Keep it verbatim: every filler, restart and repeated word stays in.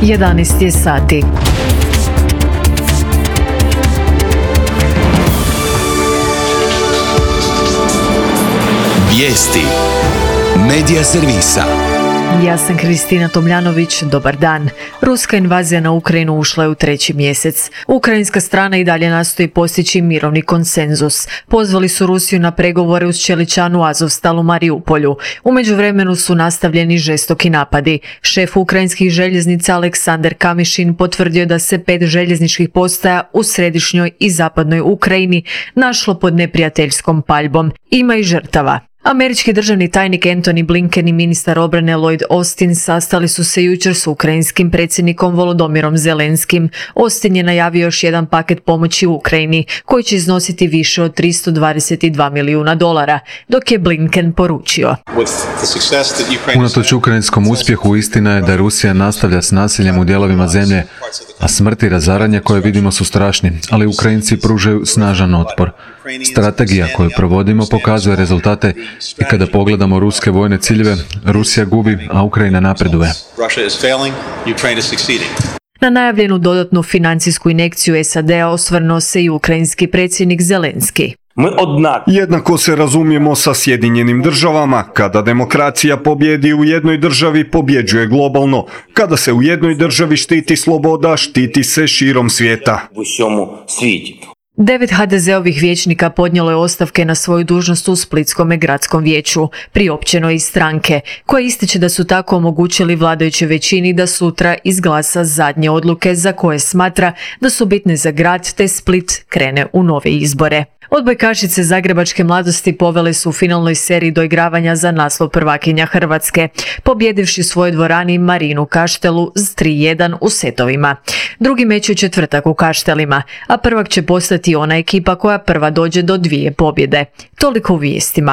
jedanaest je sati. Vijesti Medija servisa. Ja sam Kristina Tomljanović, dobar dan. Ruska invazija na Ukrajinu ušla je u treći mjesec. Ukrajinska strana i dalje nastoji postići mirovni konsenzus. Pozvali su Rusiju na pregovore uz čeličanu Azovstal u Mariupolju. U međuvremenu su nastavljeni žestoki napadi. Šef ukrajinskih željeznica Aleksandar Kamišin potvrdio je da se pet željezničkih postaja u središnjoj i zapadnoj Ukrajini našlo pod neprijateljskom paljbom. Ima i žrtava. Američki državni tajnik Antony Blinken i ministar obrane Lloyd Austin sastali su se jučer s ukrajinskim predsjednikom Volodymyrom Zelenskim. Austin je najavio još jedan paket pomoći Ukrajini, koji će iznositi više od tristo dvadeset dva milijuna dolara, dok je Blinken poručio: Unatoč ukrajinskom uspjehu, istina je da Rusija nastavlja s nasiljem u dijelovima zemlje, a smrt i razaranje koje vidimo su strašni, ali Ukrajinci pružaju snažan otpor. Strategija koju provodimo pokazuje rezultate i kada pogledamo ruske vojne ciljeve, Rusija gubi, a Ukrajina napreduje. Na najavljenu dodatnu financijsku injekciju S A D-a osvrnuo se i ukrajinski predsjednik Zelenski. Jednako se razumijemo sa Sjedinjenim državama. Kada demokracija pobjedi u jednoj državi, pobjeđuje globalno. Kada se u jednoj državi štiti sloboda, štiti se širom svijeta. Devet ha de zeovih vijećnika podnijelo je ostavke na svoju dužnost u Splitskome gradskom vijeću, priopćeno iz stranke, koja ističe da su tako omogućili vladajućoj većini da sutra izglasa zadnje odluke za koje smatra da su bitne za grad, te Split krene u nove izbore. Odbojkašice zagrebačke mladosti povele su u finalnoj seriji doigravanja za naslov prvakinja Hrvatske, pobjedivši u svojoj dvorani Marinu Kaštelu s tri jedan u setovima. Drugi meč je u četvrtak u Kaštelima, a prvak će postati ona ekipa koja prva dođe do dvije pobjede. Toliko u vijestima.